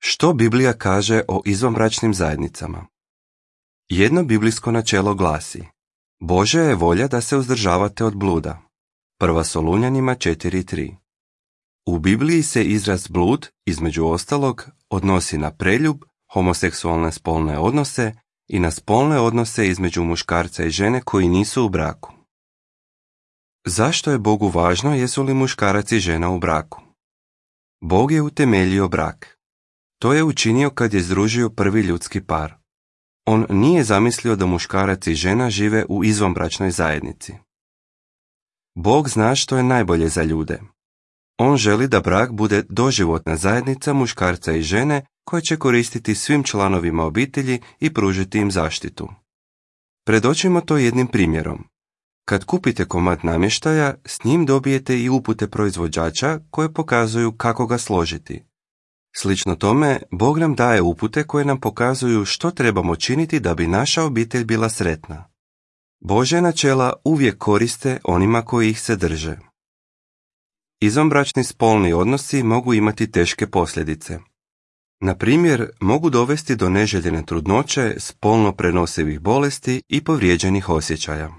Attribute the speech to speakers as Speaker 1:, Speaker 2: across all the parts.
Speaker 1: Što Biblija kaže o izvanbračnim zajednicama? Jedno biblijsko načelo glasi: Božja je volja da se uzdržavate od bluda. 1. Solunjanima 4.3. U Bibliji se izraz blud, između ostalog, odnosi na preljub, homoseksualne spolne odnose i na spolne odnose između muškarca i žene koji nisu u braku. Zašto je Bogu važno jesu li muškarac i žena u braku? Bog je utemeljio brak. To je učinio kad je združio prvi ljudski par. On nije zamislio da muškarac i žena žive u izvanbračnoj zajednici. Bog zna što je najbolje za ljude. On želi da brak bude doživotna zajednica muškarca i žene koja će koristiti svim članovima obitelji i pružiti im zaštitu. Predočimo to jednim primjerom. Kad kupite komad namještaja, s njim dobijete i upute proizvođača koje pokazuju kako ga složiti. Slično tome, Bog nam daje upute koje nam pokazuju što trebamo činiti da bi naša obitelj bila sretna. Božja načela uvijek koriste onima koji ih se drže. Izvanbračni spolni odnosi mogu imati teške posljedice. Na primjer, mogu dovesti do neželjene trudnoće, spolno prenosivih bolesti i povrijeđenih osjećaja.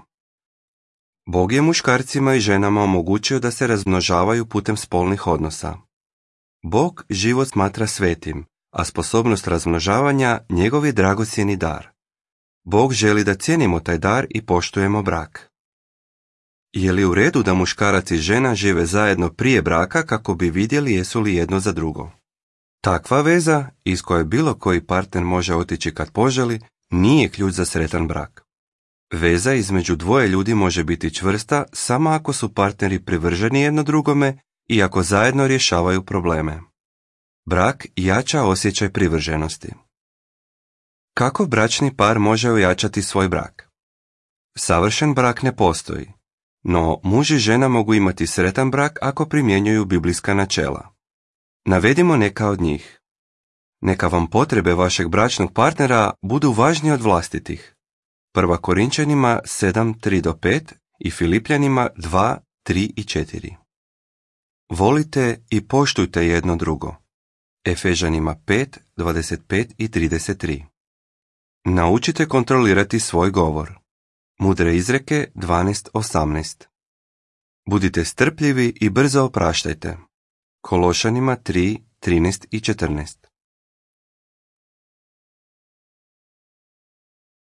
Speaker 1: Bog je muškarcima i ženama omogućio da se razmnožavaju putem spolnih odnosa. Bog život smatra svetim, a sposobnost razmnožavanja njegov je dragocjeni dar. Bog želi da cijenimo taj dar i poštujemo brak. Je li u redu da muškarac i žena žive zajedno prije braka kako bi vidjeli jesu li jedno za drugo? Takva veza, iz koje bilo koji partner može otići kad poželi, nije ključ za sretan brak. Veza između dvoje ljudi može biti čvrsta samo ako su partneri privrženi jedno drugome i ako zajedno rješavaju probleme. Brak jača osjećaj privrženosti. Kako bračni par može ojačati svoj brak? Savršen brak ne postoji, no muž i žena mogu imati sretan brak ako primjenjuju biblijska načela. Navedimo neka od njih. Neka vam potrebe vašeg bračnog partnera budu važnije od vlastitih. 1. Korinčanima 7:3-5 i Filipljanima 2:3 i 4. Volite i poštujte jedno drugo. Efežanima 5:25 i 33. Naučite kontrolirati svoj govor. Mudre izreke 12:18. Budite strpljivi i brzo opraštajte. Kološanima 3:13 i 14.